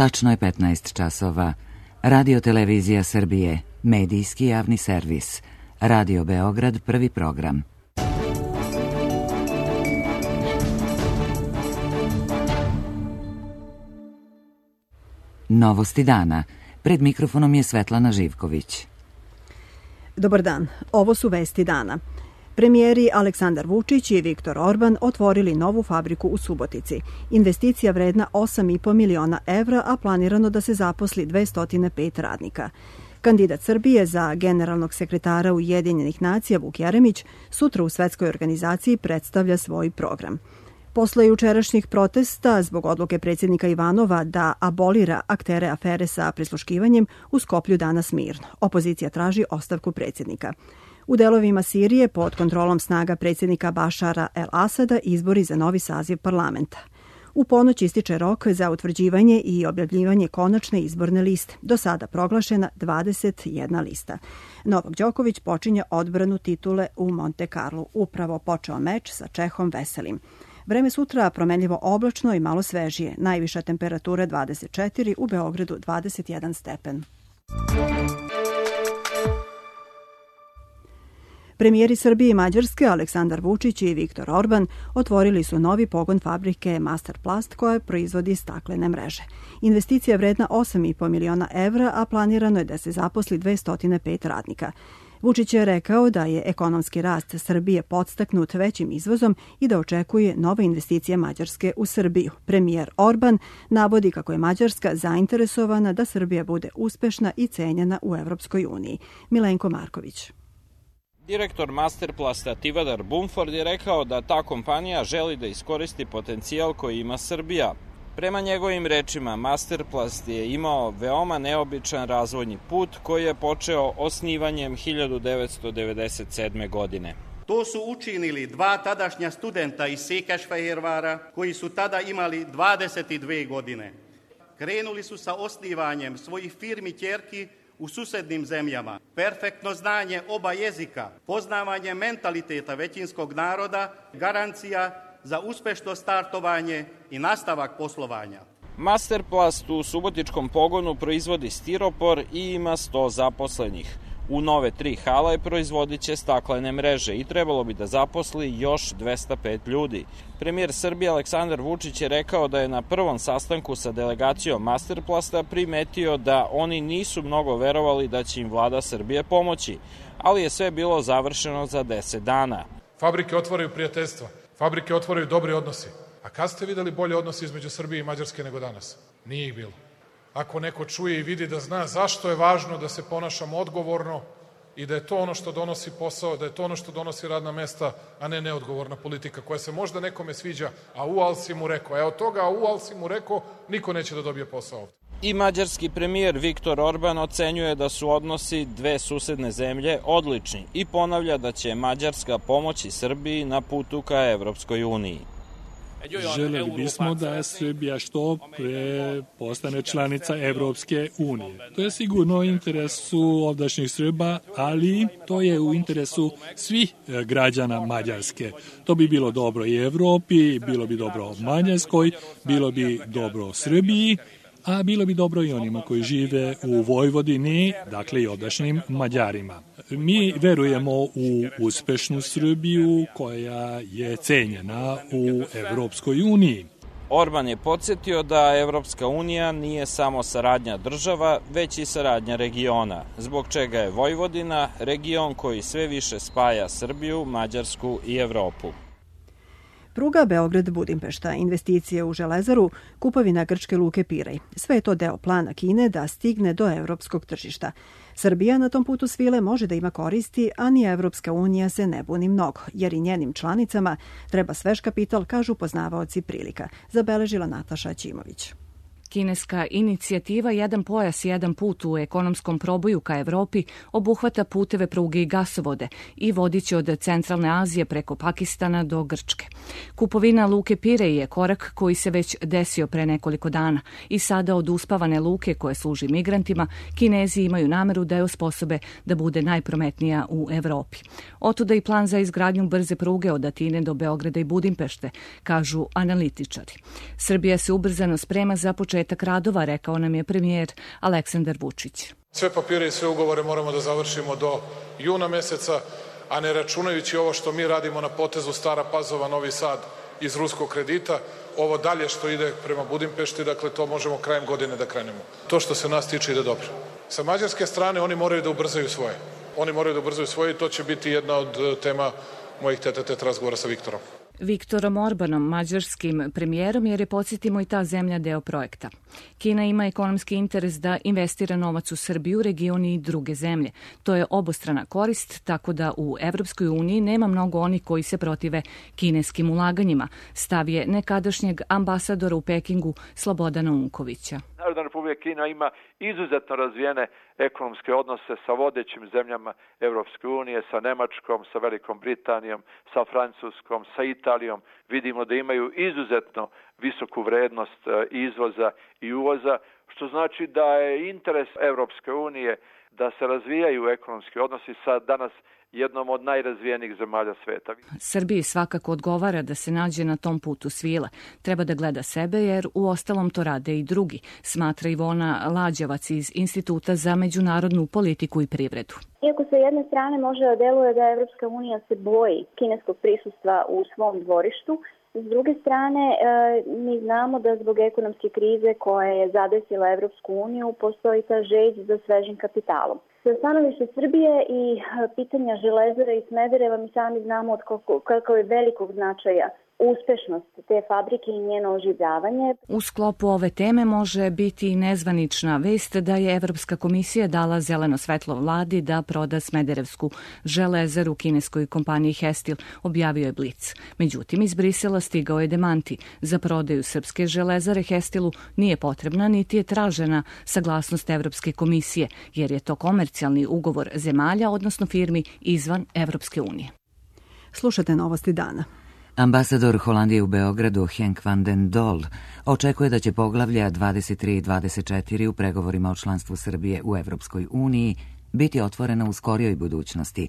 Tačno je 15 časova. Radio Televizija Srbije, medijski javni servis. Radio Beograd, prvi program. Novosti dana. Pred mikrofonom je Svetlana Živković. Dobar dan. Ovo su vesti dana. Premijeri Aleksandar Vučić i Viktor Orban otvorili novu fabriku u Subotici. Investicija vredna 8,5 miliona evra, a planirano da se zaposli 205 radnika. Kandidat Srbije za generalnog sekretara Ujedinjenih nacija Vuk Jeremić sutra u svetskoj organizaciji predstavlja svoj program. Posle jučerašnjih protesta zbog odluke predsjednika Ivanova da abolira aktere afere sa prisluškivanjem, u Skoplju danas mirno. Opozicija traži ostavku predsjednika. U delovima Sirije pod kontrolom snaga predsjednika Bašara el-Asada izbori za novi saziv parlamenta. U ponoć ističe rok za utvrđivanje i objavljivanje konačne izborne liste. Do sada proglašena 21 lista. Novak Đoković počinje odbranu titule u Monte Carlu. Upravo počeo meč sa Čehom Veselim. Vreme sutra promenljivo oblačno i malo svežije. Najviša temperatura 24, u Beogradu 21 stepen. Premijeri Srbije i Mađarske Aleksandar Vučić i Viktor Orban otvorili su novi pogon fabrike Masterplast koja proizvodi staklene mreže. Investicija je vredna 8,5 miliona evra, a planirano je da se zaposli 205 radnika. Vučić je rekao da je ekonomski rast Srbije podstaknut većim izvozom i da očekuje nove investicije Mađarske u Srbiju. Premijer Orban navodi kako je Mađarska zainteresovana da Srbija bude uspešna i cenjena u Evropskoj uniji. Milenko Marković. Direktor Masterplasta Tivadar Bumford je rekao da ta kompanija želi da iskoristi potencijal koji ima Srbija. Prema njegovim rečima, Masterplast je imao veoma neobičan razvojni put koji je počeo osnivanjem 1997. godine. To su učinili dva tadašnja studenta iz Székesfehérvára koji su tada imali 22 godine. Krenuli su sa osnivanjem svojih firmi ćerki u susednim zemljama. Perfektno znanje oba jezika, poznavanje mentaliteta većinskog naroda, garancija za uspešno startovanje i nastavak poslovanja. Masterplast u subotičkom pogonu proizvodi stiropor i ima 100 zaposlenih. U nove 3 hale proizvodit će staklene mreže i trebalo bi da zaposli još 205 ljudi. Premijer Srbije Aleksandar Vučić je rekao da je na prvom sastanku sa delegacijom Masterplasta primetio da oni nisu mnogo verovali da će im vlada Srbije pomoći, ali je sve bilo završeno za 10 dana. Fabrike otvaraju prijateljstva, fabrike otvaraju dobri odnosi. A kad ste videli bolje odnose između Srbije i Mađarske nego danas? Nije ih bilo. Ako neko čuje i vidi da zna zašto je važno da se ponašamo odgovorno i da je to ono što donosi posao, da je to ono što donosi radna mesta, a ne neodgovorna politika koja se možda nekome sviđa, a al si mu rekao. Od toga al si mu rekao, niko neće da dobije posao ovde. I mađarski premijer Viktor Orban ocenjuje da su odnosi dve susedne zemlje odlični i ponavlja da će Mađarska pomoći Srbiji na putu ka Evropskoj uniji. Želeli bismo da Srbija što pre postane članica Evropske unije. To je sigurno u interesu ovdašnjih Srba, ali to je u interesu svih građana Mađarske. To bi bilo dobro i Evropi, bilo bi dobro Mađarskoj, bilo bi dobro Srbiji, a bilo bi dobro i onima koji žive u Vojvodini, dakle i ovdašnjim Mađarima. Mi verujemo u uspešnu Srbiju koja je cenjena u Evropskoj uniji. Orban je podsjetio da Evropska unija nije samo saradnja država, već i saradnja regiona, zbog čega je Vojvodina region koji sve više spaja Srbiju, Mađarsku i Evropu. Pruga Beograd-Budimpešta, investicije u železaru, kupovina grčke luke Pirej. Sve je to deo plana Kine da stigne do evropskog tržišta. Srbija na tom putu svile može da ima koristi, a ni Evropska unija se ne buni mnogo, jer i njenim članicama treba svež kapital, kažu poznavaoci prilika, zabeležila Nataša Ćimović. Kineska inicijativa Jedan pojas, jedan put u ekonomskom proboju ka Evropi obuhvata puteve, pruge i gasovode i vodiće od centralne Azije preko Pakistana do Grčke. Kupovina luke Pirej je korak koji se već desio pre nekoliko dana i sada od uspavane luke koje služi migrantima Kinezi imaju nameru da je osposobe da bude najprometnija u Evropi. Otuda i plan za izgradnju brze pruge od Atine do Beograda i Budimpešte, kažu analitičari. Srbija se ubrzano sprema za početak početak radova, rekao nam je premijer Aleksandar Vučić. Sve papire i sve ugovore moramo da završimo do juna meseca, a ne računajući ovo što mi radimo na potezu Stara Pazova, Novi Sad iz ruskog kredita, ovo dalje što ide prema Budimpešti, dakle to možemo krajem godine da krenemo. To što se nas tiče ide dobro. Sa mađarske strane oni moraju da ubrzaju svoje. Oni moraju da ubrzaju svoje i to će biti jedna od tema mojih tete-a-tete razgovora sa Viktorom. Viktorom Orbanom, mađarskim premijerom, jer je, podsjetimo, i ta zemlja deo projekta. Kina ima ekonomski interes da investira novac u Srbiju, region i druge zemlje. To je obostrana korist, tako da u Evropskoj uniji nema mnogo onih koji se protive kineskim ulaganjima. Stav je nekadašnjeg ambasadora u Pekingu Slobodana Unkovića. Narodna Republika Kina ima izuzetno razvijene ekonomske odnose sa vodećim zemljama Evropske unije, sa Nemačkom, sa Velikom Britanijom, sa Francuskom, sa Italijom. Vidimo da imaju izuzetno visoku vrednost izvoza i uvoza, što znači da je interes Evropske unije da se razvijaju ekonomski odnosi sa danas jednom od najrazvijenijih zemalja sveta. Srbiji svakako odgovara da se nađe na tom putu svile. Treba da gleda sebe jer u ostalom to rade i drugi, smatra Ivona Lađevac iz Instituta za međunarodnu politiku i privredu. Iako sa jedne strane može da deluje da Evropska unija se boji kineskog prisustva u svom dvorištu, s druge strane, mi znamo da zbog ekonomske krize koja je zadesila Evropsku uniju postoji ta želj za svežim kapitalom. Sa stanovišta Srbije i pitanja Železare i Smedereva mi sami znamo od kako je velikog značaja uspešnost te fabrike i njeno oživljavanje. U sklopu ove teme može biti i nezvanična vest da je Evropska komisija dala zeleno svetlo vladi da proda Smederevsku železaru kineskoj kompaniji Hestil, objavio je Blic. Međutim, iz Brisela stigao je demanti. Za prodaju srpske železare Hestilu nije potrebna niti je tražena saglasnost Evropske komisije, jer je to komercijalni ugovor zemalja, odnosno firmi izvan Evropske unije. Slušate Novosti dana. Ambasador Holandije u Beogradu Henk van den Dol očekuje da će poglavlja 23 i 24 u pregovorima o članstvu Srbije u Evropskoj uniji biti otvorena u skorijoj budućnosti.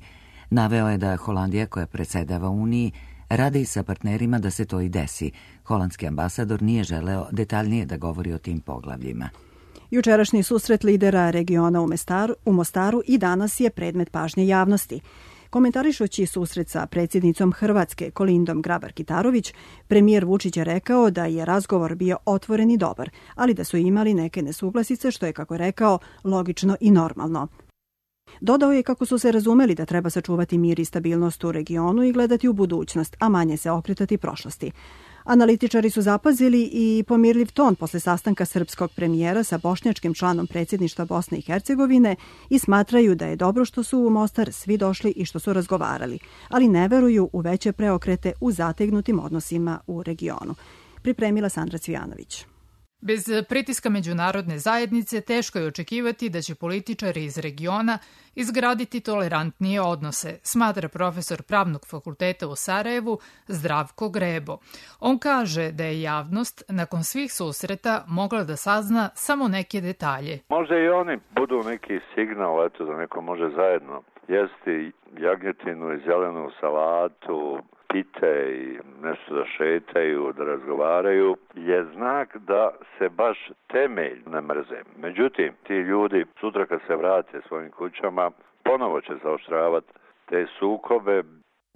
Naveo je da Holandija, koja predsjedava Uniji, radi sa partnerima da se to i desi. Holandski ambasador nije želeo detaljnije da govori o tim poglavljima. Jučerašnji susret lidera regiona u Mostaru i danas je predmet pažnje javnosti. Komentarišući susret sa predsjednicom Hrvatske Kolindom Grabar-Kitarović, premijer Vučić je rekao da je razgovor bio otvoren i dobar, ali da su imali neke nesuglasice, što je, kako je rekao, logično i normalno. Dodao je kako su se razumeli da treba sačuvati mir i stabilnost u regionu i gledati u budućnost, a manje se okretati prošlosti. Analitičari su zapazili i pomirljiv ton posle sastanka srpskog premijera sa bošnjačkim članom predsjedništva Bosne i Hercegovine i smatraju da je dobro što su u Mostar svi došli i što su razgovarali, ali ne veruju u veće preokrete u zategnutim odnosima u regionu. Pripremila Sandra Cvijanović. Bez pritiska međunarodne zajednice teško je očekivati da će političari iz regiona izgraditi tolerantnije odnose, smatra profesor Pravnog fakulteta u Sarajevu Zdravko Grebo. On kaže da je javnost nakon svih susreta mogla da sazna samo neke detalje. Možda i oni budu neki signal, eto, da neko može zajedno jesti jagnjetinu i zelenu salatu, pite i nešto da šetaju, da razgovaraju, je znak da se baš temelj ne mrze. Međutim, ti ljudi sutra kad se vrate svojim kućama, ponovo će zaoštravati te sukobe.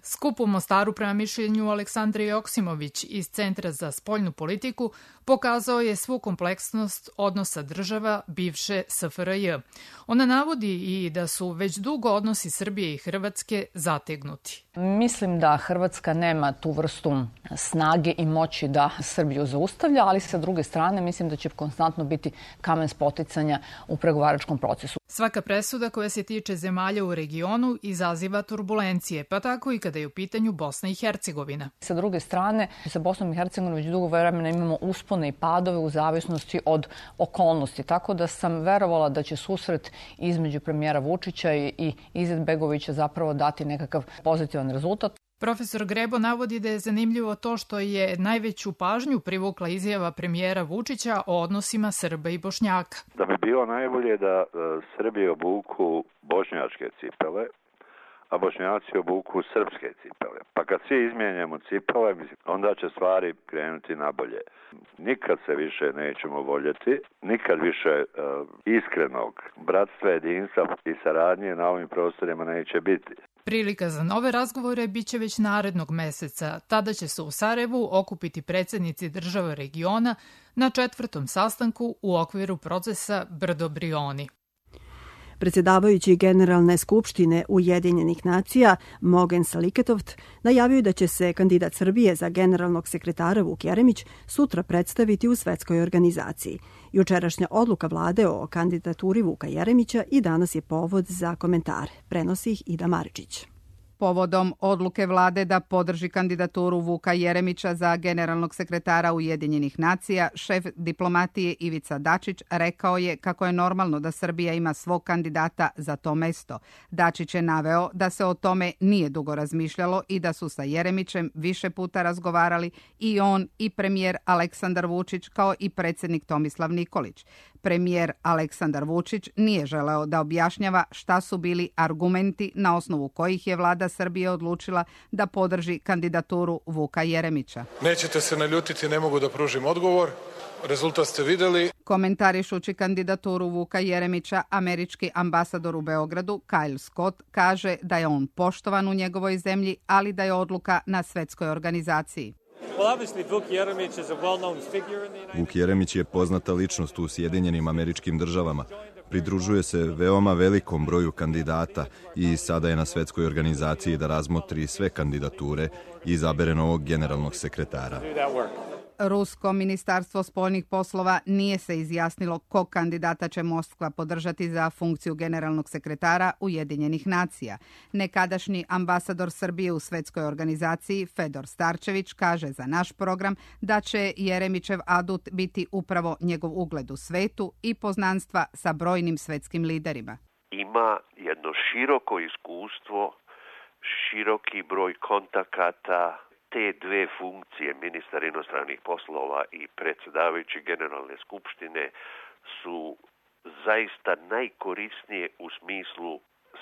Skup u Mostaru, prema mišljenju Aleksandre Joksimović iz Centra za spoljnu politiku, pokazao je svu kompleksnost odnosa država bivše SFRJ. Ona navodi i da su već dugo odnosi Srbije i Hrvatske zategnuti. Mislim da Hrvatska nema tu vrstu snage i moći da Srbiju zaustavlja, ali sa druge strane mislim da će konstantno biti kamen spoticanja u pregovaračkom procesu. Svaka presuda koja se tiče zemalja u regionu izaziva turbulencije, pa tako i kada je u pitanju Bosna i Hercegovina. Sa druge strane, sa Bosnom i Hercegovinom već dugo vremena imamo uspone i padove u zavisnosti od okolnosti, tako da sam verovala da će susret između premijera Vučića i Izetbegovića zapravo dati nekakav pozitivan rezultat. Profesor Grebo navodi da je zanimljivo to što je najveću pažnju privukla izjava premijera Vučića o odnosima Srba i Bošnjaka. Da bi bilo najbolje da Srbi obuku bošnjačke cipele, a Bošnjaci obuku srpske cipele. Pa kad svi izmijenjamo cipele, onda će stvari krenuti nabolje. Nikad se više nećemo voljeti, nikad više iskrenog bratstva, jedinstva i saradnje na ovim prostorima neće biti. Prilika za nove razgovore biće već narednog meseca. Tada će se u Sarajevu okupiti predsjednici država regiona na 4. sastanku u okviru procesa Brdo-Brioni. Predsjedavajući Generalne skupštine Ujedinjenih nacija Mogen Saliketoft najavio da će se kandidat Srbije za generalnog sekretara Vuk Jeremić sutra predstaviti u svetskoj organizaciji. Jučerašnja odluka vlade o kandidaturi Vuka Jeremića i danas je povod za komentare. Prenosi ih Ida Maričić. Povodom odluke vlade da podrži kandidaturu Vuka Jeremića za generalnog sekretara Ujedinjenih nacija, šef diplomatije Ivica Dačić rekao je kako je normalno da Srbija ima svog kandidata za to mesto. Dačić je naveo da se o tome nije dugo razmišljalo i da su sa Jeremićem više puta razgovarali i on i premijer Aleksandar Vučić kao i predsjednik Tomislav Nikolić. Premijer Aleksandar Vučić nije želeo da objašnjava šta su bili argumenti na osnovu kojih je vlada Srbije odlučila da podrži kandidaturu Vuka Jeremića. Nećete se naljutiti, ne mogu da pružim odgovor. Rezultat ste videli. Komentarišući kandidaturu Vuka Jeremića, američki ambasador u Beogradu, Kyle Scott, kaže da je on poštovan u njegovoj zemlji, ali da je odluka na svetskoj organizaciji. Vuk Jeremić je poznata ličnost u Sjedinjenim Američkim Državama. Pridružuje se veoma velikom broju kandidata i sada je na svetskoj organizaciji da razmotri sve kandidature i izabere novog generalnog sekretara. Rusko ministarstvo spoljnih poslova nije se izjasnilo kog kandidata će Moskva podržati za funkciju generalnog sekretara Ujedinjenih nacija. Nekadašnji ambasador Srbije u svetskoj organizaciji Fedor Starčević kaže za naš program da će Jeremićev adut biti upravo njegov ugled u svetu i poznanstva sa brojnim svetskim liderima. Ima jedno široko iskustvo, široki broj kontakata. Te dve funkcije, ministar inostranih poslova i predsjedavajući Generalne skupštine, su zaista najkorisnije u smislu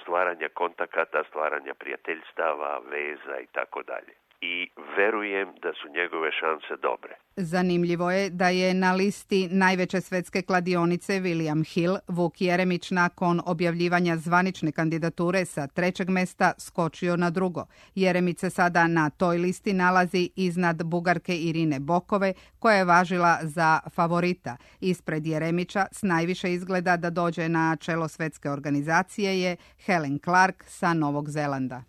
stvaranja kontakata, stvaranja prijateljstava, veza i tako dalje. I verujem da su njegove šanse dobre. Zanimljivo je da je na listi najveće svetske kladionice William Hill Vuk Jeremić nakon objavljivanja zvanične kandidature sa 3. mesta skočio na 2. Jeremić se sada na toj listi nalazi iznad Bugarke Irine Bokove, koja je važila za favorita. Ispred Jeremića s najviše izgleda da dođe na čelo svetske organizacije je Helen Clark sa Novog Zelanda.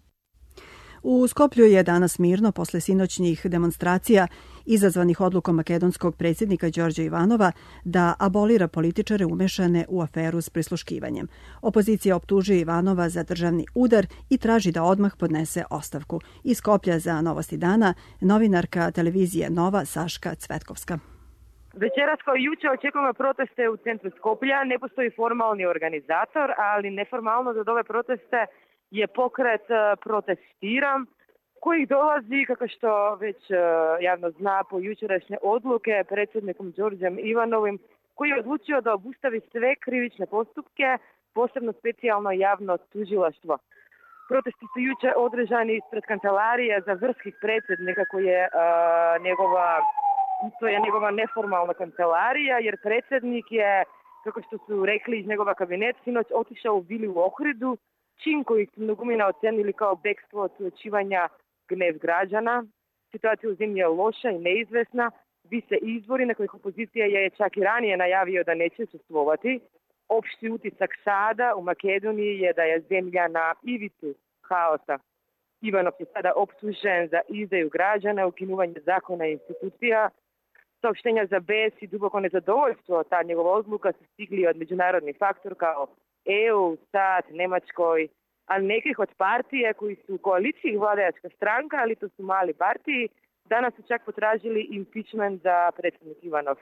U Skoplju je danas mirno posle sinoćnjih demonstracija izazvanih odlukom makedonskog predsjednika Đorđa Ivanova da abolira političare umešane u aferu s prisluškivanjem. Opozicija optužuje Ivanova za državni udar i traži da odmah podnese ostavku. Iz Skoplja za Novosti dana novinarka televizije Nova Saška Cvetkovska. Večeras kao i juče očekujemo proteste u centru Skoplja. Ne postoji formalni organizator, ali neformalno za ove proteste je pokret Protestiram, koji dolazi, kako što već javno zna, po jučerašnje odluke predsjednikom Đorđem Ivanovim, koji je odlučio da obustavi sve krivične postupke, posebno specijalno javno tužilaštvo. Protesti su juče održani ispred kancelarije za vrhskih predsjednika, koji je njegova neformalna kancelarija, jer predsjednik je, kako što su rekli iz njegova kabineta, sinoć otišao u vili u Ohridu, čin koji su mnogumina ocenili kao bekstvo od suočivanja gnev građana. Situacija u zemlji je loša i neizvesna. Vise izbori na kojih opozicija je čak i ranije najavio da neće učestvovati. Opšti utisak sada u Makedoniji je da je zemlja na ivici haosa. Ivanov je sada optužen za izdaju građana, ukinuvanje zakona i institucija. Saopštenja za bes i duboko nezadovoljstvo, ta njegova odluka su stigli od međunarodnih faktora kao EU, SAD, Nemačkoj, ali nekih od partije koji su u koaliciji vladajačka stranka, ali to su mali partiji, danas su čak potražili impeachment za predsjednik Ivanov.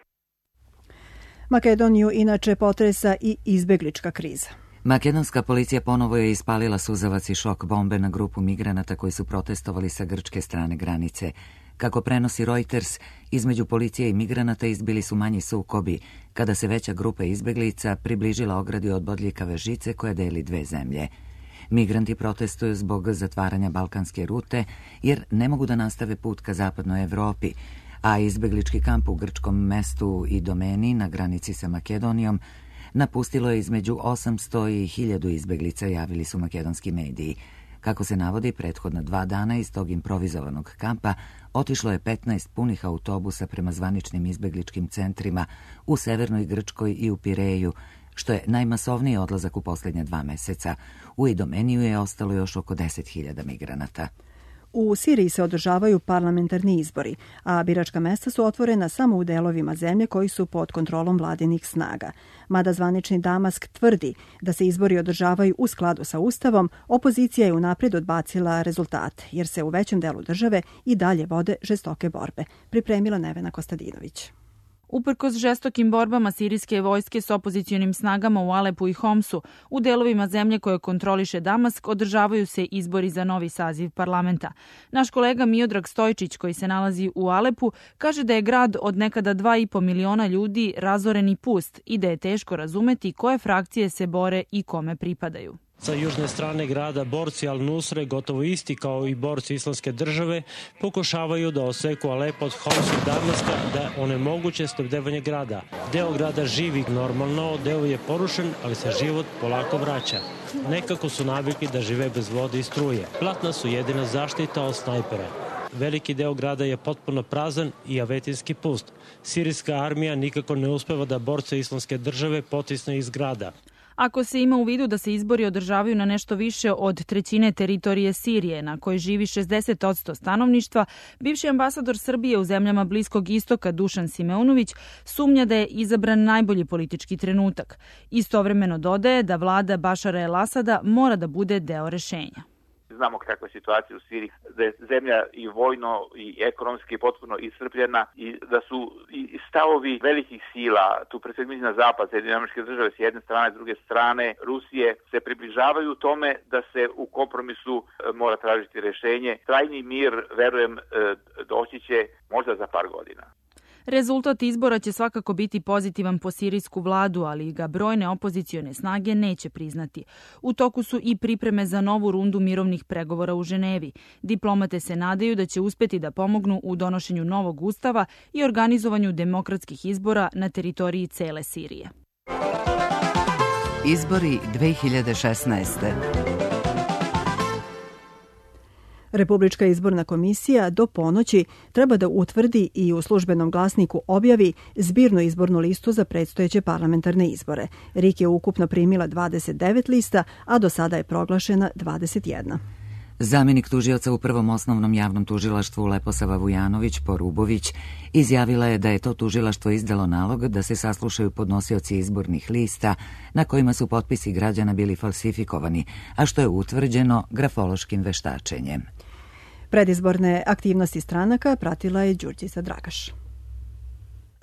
Makedoniju inače potresa i izbeglička kriza. Makedonska policija ponovo je ispalila suzavac i šok bombe na grupu migranata koji su protestovali sa grčke strane granice. Kako prenosi Reuters, između policije i migranata izbili su manji sukobi, kada se veća grupa izbeglica približila ogradi od bodljikave žice koja deli dve zemlje. Migranti protestuju zbog zatvaranja balkanske rute jer ne mogu da nastave put ka zapadnoj Evropi, a izbeglički kamp u grčkom mestu Idomeni na granici sa Makedonijom napustilo je između 800 i 1000 izbeglica, javili su makedonski mediji. Kako se navodi, prethodna 2 dana iz tog improvizovanog kampa otišlo je 15 punih autobusa prema zvaničnim izbegličkim centrima u severnoj Grčkoj i u Pireju, što je najmasovniji odlazak u posljednja 2 meseca. U Idomeniju je ostalo još oko 10.000 migranata. U Siriji se održavaju parlamentarni izbori, a biračka mesta su otvorena samo u delovima zemlje koji su pod kontrolom vladinih snaga. Mada zvanični Damask tvrdi da se izbori održavaju u skladu sa Ustavom, opozicija je unaprijed odbacila rezultate, jer se u većem delu države i dalje vode žestoke borbe. Pripremila Nevena Kostadinović. Uprkos žestokim borbama sirijske vojske s opozicionim snagama u Alepu i Homsu, u delovima zemlje koje kontroliše Damask održavaju se izbori za novi saziv parlamenta. Naš kolega Miodrag Stojčić, koji se nalazi u Alepu, kaže da je grad od nekada 2,5 miliona ljudi razoren i pust i da je teško razumeti koje frakcije se bore i kome pripadaju. Sa južne strane grada borci Al-Nusre, gotovo isti kao i borci Islamske države, pokušavaju da oseku Alep od Homsa i Damaska da onemoguće snabdevanje grada. Deo grada živi normalno, deo je porušen, ali se život polako vraća. Nekako su navikli da žive bez vode i struje. Platna su jedina zaštita od snajpera. Veliki deo grada je potpuno prazan i avetinski pust. Sirijska armija nikako ne uspeva da borce Islamske države potisne iz grada. Ako se ima u vidu da se izbori održavaju na nešto više od 1/3 teritorije Sirije, na kojoj živi 60% stanovništva, bivši ambasador Srbije u zemljama Bliskog istoka Dušan Simeunović sumnja da je izabran najbolji politički trenutak. Istovremeno dodaje da vlada Bašara el-Asada mora da bude deo rešenja. Znamo kakva je situacija u Siriji, da je zemlja i vojno i ekonomski potpuno iscrpljena i da su i stavovi velikih sila, tu pre svega mislim na zapad, Sjedinjene Američke Države s jedne strane, s druge strane Rusije, se približavaju tome da se u kompromisu mora tražiti rešenje. Trajni mir, verujem, doći će možda za par godina. Rezultat izbora će svakako biti pozitivan po sirijsku vladu, ali ga brojne opozicione snage neće priznati. U toku su i pripreme za novu rundu mirovnih pregovora u Ženevi. Diplomate se nadaju da će uspeti da pomognu u donošenju novog ustava i organizovanju demokratskih izbora na teritoriji cele Sirije. Izbori 2016. Republička izborna komisija do ponoći treba da utvrdi i u službenom glasniku objavi zbirnu izbornu listu za predstojeće parlamentarne izbore. RIK je ukupno primila 29 lista, a do sada je proglašena 21. Zamjenik tužioca u Prvom osnovnom javnom tužilaštvu Leposava Vujanović Porubović izjavila je da je to tužilaštvo izdalo nalog da se saslušaju podnosioci izbornih lista na kojima su potpisi građana bili falsifikovani, a što je utvrđeno grafološkim veštačenjem. Predizborne aktivnosti stranaka pratila je Đurđica Dragaš.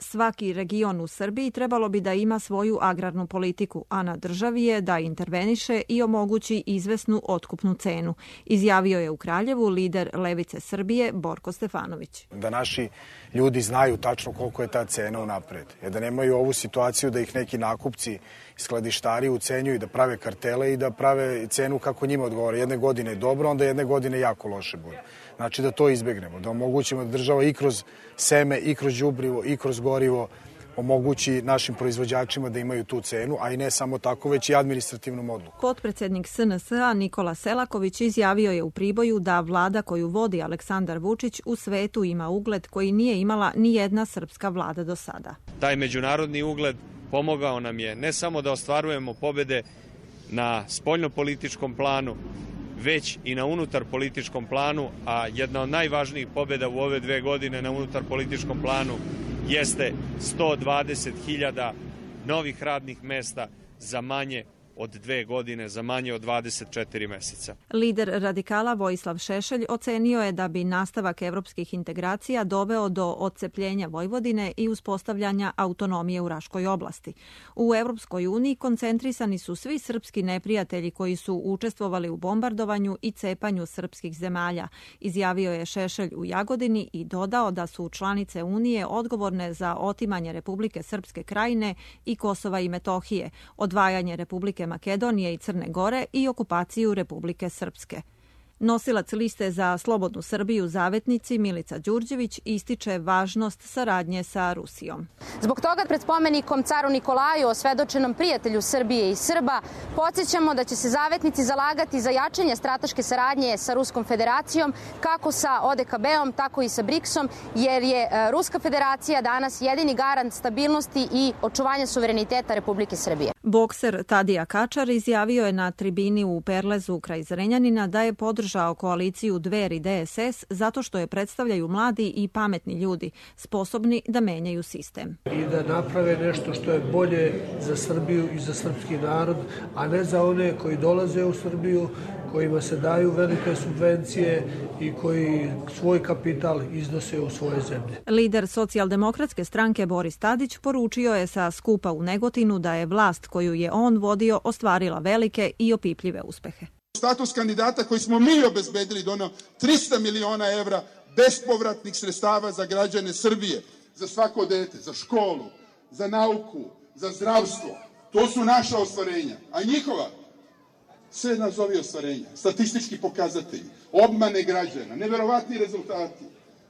Svaki region u Srbiji trebalo bi da ima svoju agrarnu politiku, a na državi je da interveniše i omogući izvesnu otkupnu cenu, izjavio je u Kraljevu lider Levice Srbije Borko Stefanović. Da naši ljudi znaju tačno koliko je ta cena unapred, da nemaju ovu situaciju da ih neki nakupci, skladištari ucenjuju, da prave kartele i da prave cenu kako njima odgovara. Jedne godine je dobro, onda jedne godine jako loše bude. Znači da to izbegnemo, da omogućimo da država i kroz seme, i kroz đubrivo, i kroz gorivo omogući našim proizvođačima da imaju tu cenu, a i ne samo tako, već i administrativnom odluku. Potpredsednik SNS-a Nikola Selaković izjavio je u Priboju da vlada koju vodi Aleksandar Vučić u svetu ima ugled koji nije imala ni jedna srpska vlada do sada. Taj međunarodni ugled pomogao nam je ne samo da ostvarujemo pobede na spoljnopolitičkom planu, već i na unutar političkom planu, a jedna od najvažnijih pobjeda u ove 2 godine na unutar političkom planu jeste 120.000 novih radnih mesta za manje od 2 godine, za manje od 24 meseca. Lider radikala Vojislav Šešelj ocenio je da bi nastavak evropskih integracija doveo do odcepljenja Vojvodine i uspostavljanja autonomije u Raškoj oblasti. U Evropskoj uniji koncentrisani su svi srpski neprijatelji koji su učestvovali u bombardovanju i cepanju srpskih zemalja, izjavio je Šešelj u Jagodini i dodao da su članice Unije odgovorne za otimanje Republike Srpske Krajine i Kosova i Metohije, odvajanje Republike Makedonije i Crne Gore i okupaciju Republike Srpske. Nosilac liste za Slobodnu Srbiju Zavetnici Milica Đurđević ističe važnost saradnje sa Rusijom. Zbog toga pred spomenikom caru Nikolaju, osvedočenom prijatelju Srbije i Srba, podsjećamo da će se Zavetnici zalagati za jačanje strateške saradnje sa Ruskom federacijom, kako sa ODKB-om, tako i sa BRICS-om, jer je Ruska federacija danas jedini garant stabilnosti i očuvanja suvereniteta Republike Srbije. Bokser Tadija Kačar izjavio je na tribini u Perlezu kraj Zrenjanina da je podržao koaliciju Dveri DSS zato što je predstavljaju mladi i pametni ljudi, sposobni da menjaju sistem. I da naprave nešto što je bolje za Srbiju i za srpski narod, a ne za one koji dolaze u Srbiju, kojima se daju velike subvencije i koji svoj kapital iznose u svoje zemlje. Lider socijaldemokratske stranke Boris Tadić poručio je sa skupa u Negotinu da je vlast koju je on vodio ostvarila velike i opipljive uspehe. Status kandidata koji smo mi obezbedili doneo 300 miliona evra bespovratnih sredstava za građane Srbije, za svako dete, za školu, za nauku, za zdravstvo. To su naša ostvarenja, a njihova sve nazovi ostvarenja, statistički pokazatelji, obmane građana, neverovatni rezultati,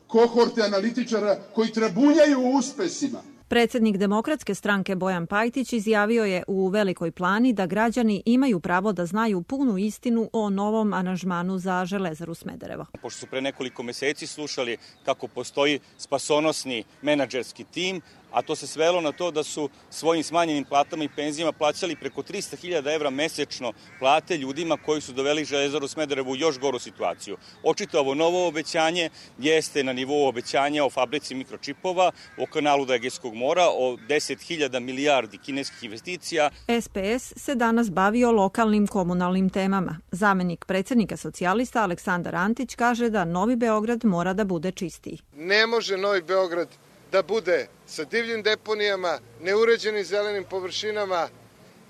kohorte analitičara koji trabunjaju u uspesima. Predsjednik Demokratske stranke Bojan Pajtić izjavio je u Velikoj Plani da građani imaju pravo da znaju punu istinu o novom aranžmanu za Železaru Smederevo. Pošto su pre nekoliko meseci slušali kako postoji spasonosni menadžerski tim, a to se svelo na to da su svojim smanjenim platama i penzijama plaćali preko 300.000 evra mesečno plate ljudima koji su doveli Železaru Smederevo u još goru situaciju. Očito ovo novo obećanje jeste na nivou obećanja o fabrici mikročipova, o kanalu do Egejskog mora, o 10.000 milijardi kineskih investicija. SPS se danas bavio lokalnim komunalnim temama. Zamenik predsjednika socijalista Aleksandar Antić kaže da Novi Beograd mora da bude čistiji. Ne može Novi Beograd da bude sa divljim deponijama, neuređenim zelenim površinama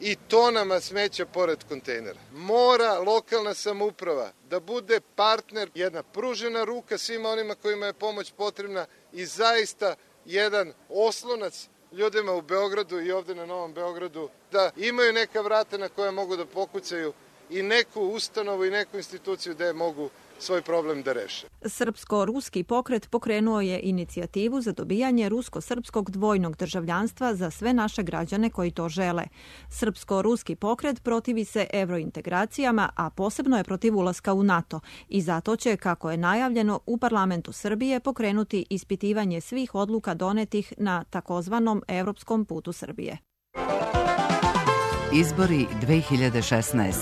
i tonama smeća pored kontejnera. Mora lokalna samouprava da bude partner, jedna pružena ruka svima onima kojima je pomoć potrebna i zaista jedan oslonac ljudima u Beogradu i ovde na Novom Beogradu, da imaju neka vrata na koja mogu da pokucaju i neku ustanovu i neku instituciju gde mogu svoj problem da reše. Srpsko-ruski pokret pokrenuo je inicijativu za dobijanje rusko-srpskog dvojnog državljanstva za sve naše građane koji to žele. Srpsko-ruski pokret protivi se evrointegracijama, a posebno je protiv ulaska u NATO i zato će, kako je najavljeno, u parlamentu Srbije pokrenuti ispitivanje svih odluka donetih na takozvanom evropskom putu Srbije. Izbori 2016.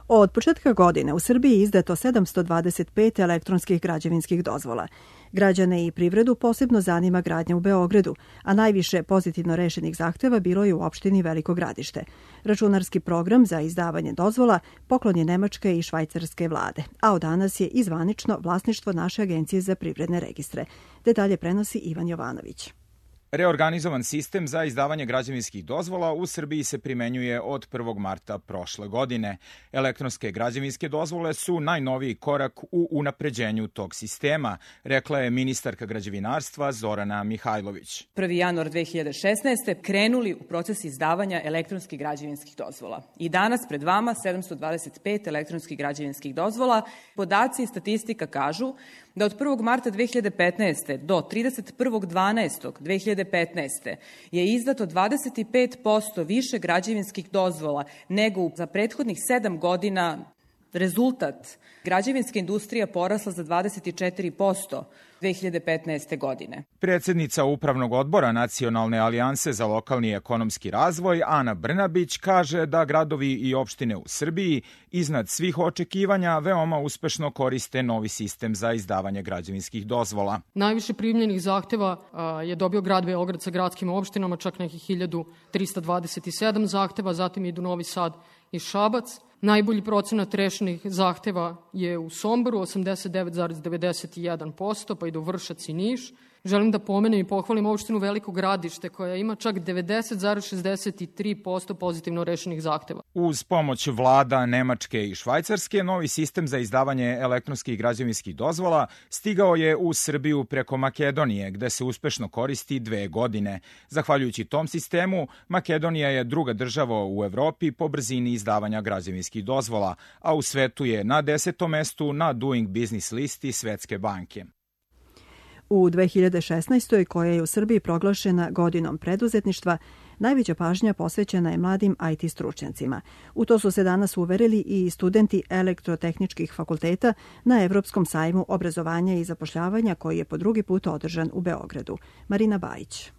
Od početka godine u Srbiji je izdato 725 elektronskih građevinskih dozvola. Građane i privredu posebno zanima gradnja u Beogradu, a najviše pozitivno rešenih zahteva bilo je u opštini Veliko Gradište. Računarski program za izdavanje dozvola poklon je nemačke i švajcarske vlade, a od danas je i zvanično vlasništvo naše agencije za privredne registre. Detalje prenosi Ivan Jovanović. Reorganizovan sistem za izdavanje građevinskih dozvola u Srbiji se primenjuje od 1. marta prošle godine. Elektronske građevinske dozvole su najnoviji korak u unapređenju tog sistema, rekla je ministarka građevinarstva Zorana Mihajlović. 1. januar 2016. krenuli u proces izdavanja elektronskih građevinskih dozvola. I danas pred vama 725 elektronskih građevinskih dozvola. Podaci i statistika kažu da od 1. marta 2015. do 31.12.2015. je izdato 25% više građevinskih dozvola nego za prethodnih 7 godina. Rezultat, građevinska industrija porasla za 24% 2015. godine. Predsjednica Upravnog odbora Nacionalne alijanse za lokalni ekonomski razvoj Ana Brnabić kaže da gradovi i opštine u Srbiji iznad svih očekivanja veoma uspešno koriste novi sistem za izdavanje građevinskih dozvola. Najviše primljenih zahteva je dobio grad Beograd sa gradskim opštinama, čak nekih 1327 zahteva, zatim idu Novi Sad i Šabac. Najbolji procenat rešenih zahteva je u Somboru, 89,91%, pa idu Vršac i Niš. Želim da pomenem i pohvalim opštinu Veliko Gradište koja ima čak 90,63% pozitivno rešenih zahteva. Uz pomoć vlada Nemačke i Švajcarske, novi sistem za izdavanje elektronskih građevinskih dozvola stigao je u Srbiju preko Makedonije, gde se uspešno koristi 2 godine. Zahvaljujući tom sistemu, Makedonija je druga država u Evropi po brzini izdavanja građevinskih dozvola, a u svetu je na 10. mestu na Doing Business listi Svetske banke. U 2016. koja je u Srbiji proglašena godinom preduzetništva, najveća pažnja posvećena je mladim IT stručnjacima. U to su se danas uverili i studenti elektrotehničkih fakulteta na Evropskom sajmu obrazovanja i zapošljavanja koji je po drugi put održan u Beogradu. Marina Bajić.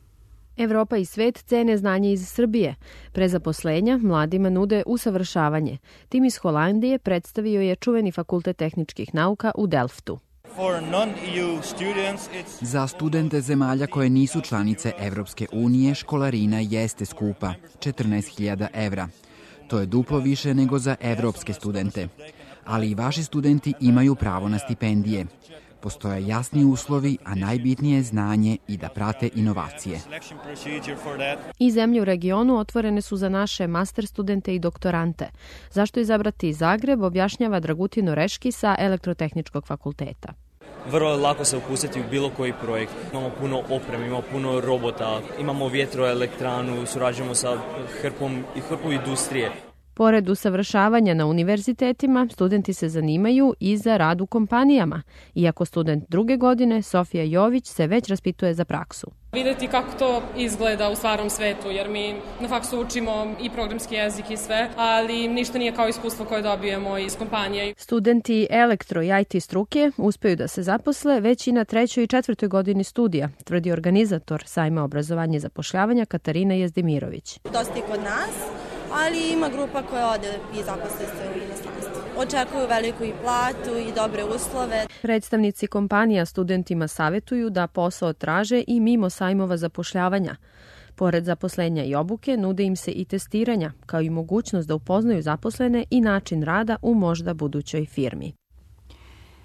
Evropa i svet cene znanje iz Srbije. Pre zaposlenja mladima nude usavršavanje. Tim iz Holandije predstavio je čuveni fakultet tehničkih nauka u Delftu. Za studente zemalja koje nisu članice Evropske unije školarina jeste skupa, 14.000 evra. To je duplo više nego za evropske studente. Ali i vaši studenti imaju pravo na stipendije. Postoje jasni uslovi, a najbitnije je znanje i da prate inovacije. I zemlje u regionu otvorene su za naše master studente i doktorante. Zašto izabrati Zagreb, objašnjava Dragutin Oreški sa Elektrotehničkog fakulteta. Vrlo lako se upustiti u bilo koji projekt. Imamo puno opreme, imamo puno robota, imamo vjetroelektranu, surađujemo sa hrpom industrije. Pored usavršavanja na univerzitetima, studenti se zanimaju i za rad u kompanijama. Iako student druge godine, Sofija Jović se već raspituje za praksu. Videti kako to izgleda u stvarnom svetu, jer mi na faksu učimo i programski jezik i sve, ali ništa nije kao iskustvo koje dobijemo iz kompanije. Studenti elektro i IT struke uspeju da se zaposle već i na 3. i 4. godini studija, tvrdi organizator sajma obrazovanja i zapošljavanja Katarina Jezdimirović. Dosta i kod nas, ali ima grupa koja ode i zaposle se u inostranstvu. Očekuju veliku i platu i dobre uslove. Predstavnici kompanija studentima savetuju da posao traže i mimo sajmova zapošljavanja. Pored zaposlenja i obuke, nude im se i testiranja, kao i mogućnost da upoznaju zaposlene i način rada u možda budućoj firmi.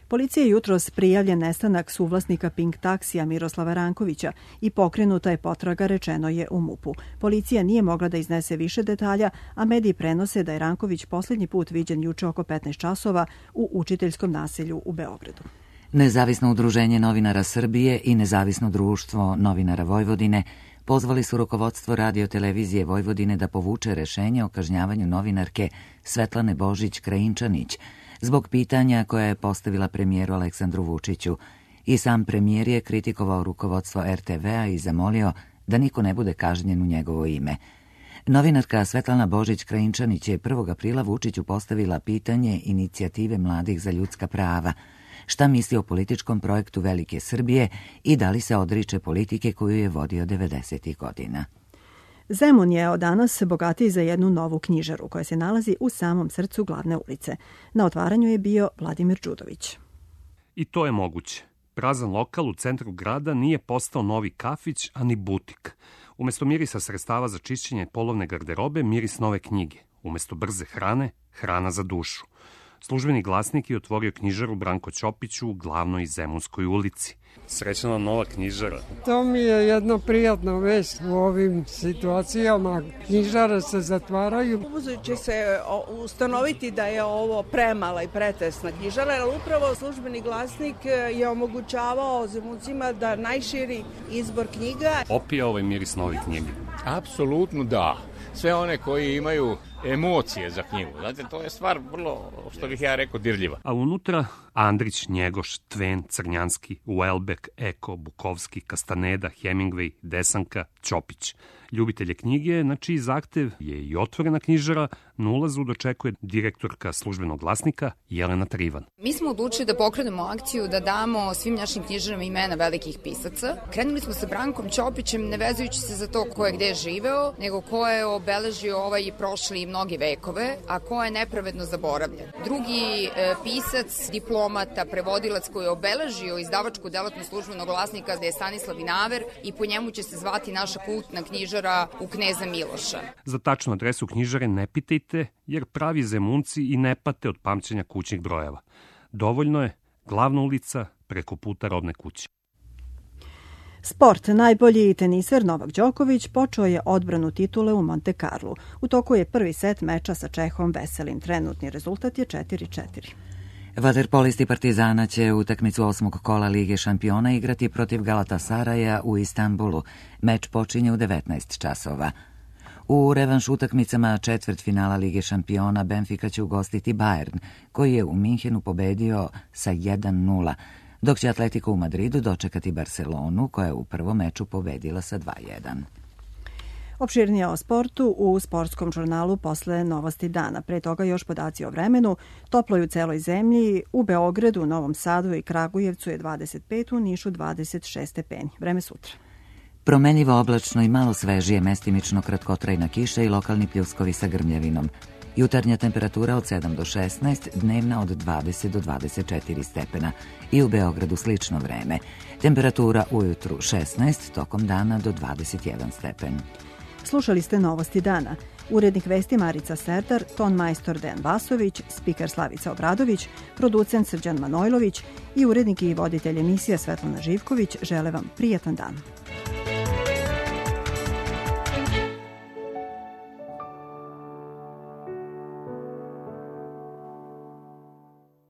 Policija je jutros prijavljen nestanak suvlasnika Pink taksija Miroslava Rankovića i pokrenuta je potraga, rečeno je u MUP-u. Policija nije mogla da iznese više detalja, a mediji prenose da je Ranković poslednji put viđen juče oko 15 časova u učiteljskom naselju u Beogradu. Nezavisno udruženje novinara Srbije i Nezavisno društvo novinara Vojvodine pozvali su rukovodstvo Radio-televizije Vojvodine da povuče rešenje o kažnjavanju novinarke Svetlane Božić-Krajinčanić zbog pitanja koja je postavila premijeru Aleksandru Vučiću. I sam premijer je kritikovao rukovodstvo RTV-a i zamolio da niko ne bude kažnjen u njegovo ime. Novinarka Svetlana Božić-Krajinčanić je 1. aprila Vučiću postavila pitanje inicijative mladih za ljudska prava. Šta misli o političkom projektu Velike Srbije i da li se odriče politike koju je vodio 90. godina. Zemun je od danas bogatiji za jednu novu knjižaru koja se nalazi u samom srcu glavne ulice. Na otvaranju je bio Vladimir Đudović. I to je moguće. Prazan lokal u centru grada nije postao novi kafić, ani butik. Umesto mirisa sredstava za čišćenje polovne garderobe, miris nove knjige. Umesto brze hrane, hrana za dušu. Službeni glasnik je otvorio knjižaru Branko Ćopić u glavnoj Zemunskoj ulici. Srećna vam nova knjižara. To mi je jedna prijatna vest u ovim situacijama. Knjižare se zatvaraju. Će se ustanoviti da je ovo premala i pretesna knjižara, jer upravo službeni glasnik je omogućavao Zemuncima da najširi izbor knjiga. Opija ovaj miris nove knjige. Apsolutno da. Sve one koji imaju emocije za knjigu. Znate, to je stvar vrlo, što bih ja rekao, dirljiva. A unutra Andrić, Njegoš, Tven, Crnjanski, Uelbek, Eko, Bukovski, Kastaneda, Hemingway, Desanka, Ćopić. Ljubitelje knjige, na čiji zahtev je i otvorena knjižara, na ulazu dočekuje direktorka službenog glasnika Jelena Trivan. Mi smo odlučili da pokrenemo akciju da damo svim našim knjižarama imena velikih pisaca. Krenuli smo sa Brankom Ćopićem, ne vezujući se za to ko je gde živeo, nego ko je obeležio ovaj prošli i mnogi vekove, a ko je nepravedno zaboravljen. Drugi pisac, diplomata, prevodilac koji je obeležio izdavačku delatnost službenog glasnika je Stanislav Vinaver i po njemu će se zvati naša kultna knjižara u Kneza Miloša. Za tačnu adresu knjižare ne pitajte, jer pravi Zemunci i ne pate od pamćenja kućnih brojeva. Dovoljno je glavna ulica preko puta Robne kuće. Sport. Najbolji teniser Novak Đoković počeo je odbranu titule u Monte Carlu. U toku je prvi set meča sa Čehom Veselim. Trenutni rezultat je 4-4. Vaterpolisti Partizana će utakmicu 8. kola Lige šampiona igrati protiv Galatasaraja u Istanbulu. Meč počinje u 19 časova. U revanš utakmicama četvrtfinala Lige šampiona Benfica će ugostiti Bayern, koji je u Minhenu pobedio sa 1-0, dok će Atletico u Madridu dočekati Barcelonu, koja je u prvom meču pobedila sa 2-1. Opširnije o sportu u sportskom žurnalu posle Novosti dana. Pre toga još podaci o vremenu. Toplo je u celoj zemlji. U Beogradu, Novom Sadu i Kragujevcu je 25, u Nišu 26 stepeni. Vreme sutra. Promenljivo oblačno i malo svežije, mestimično kratkotrajna kiša i lokalni pljuskovi sa grmljavinom. Jutarnja temperatura od 7 do 16, dnevna od 20 do 24 stepena. I u Beogradu slično vreme. Temperatura ujutru 16, tokom dana do 21 stepen. Slušali ste Novosti dana. Urednik vesti Marica Serdar, ton majstor Dejan Vasović, spiker Slavica Obradović, producent Srđan Manojlović i urednik i voditelj emisije Svetlana Živković žele vam prijatan dan.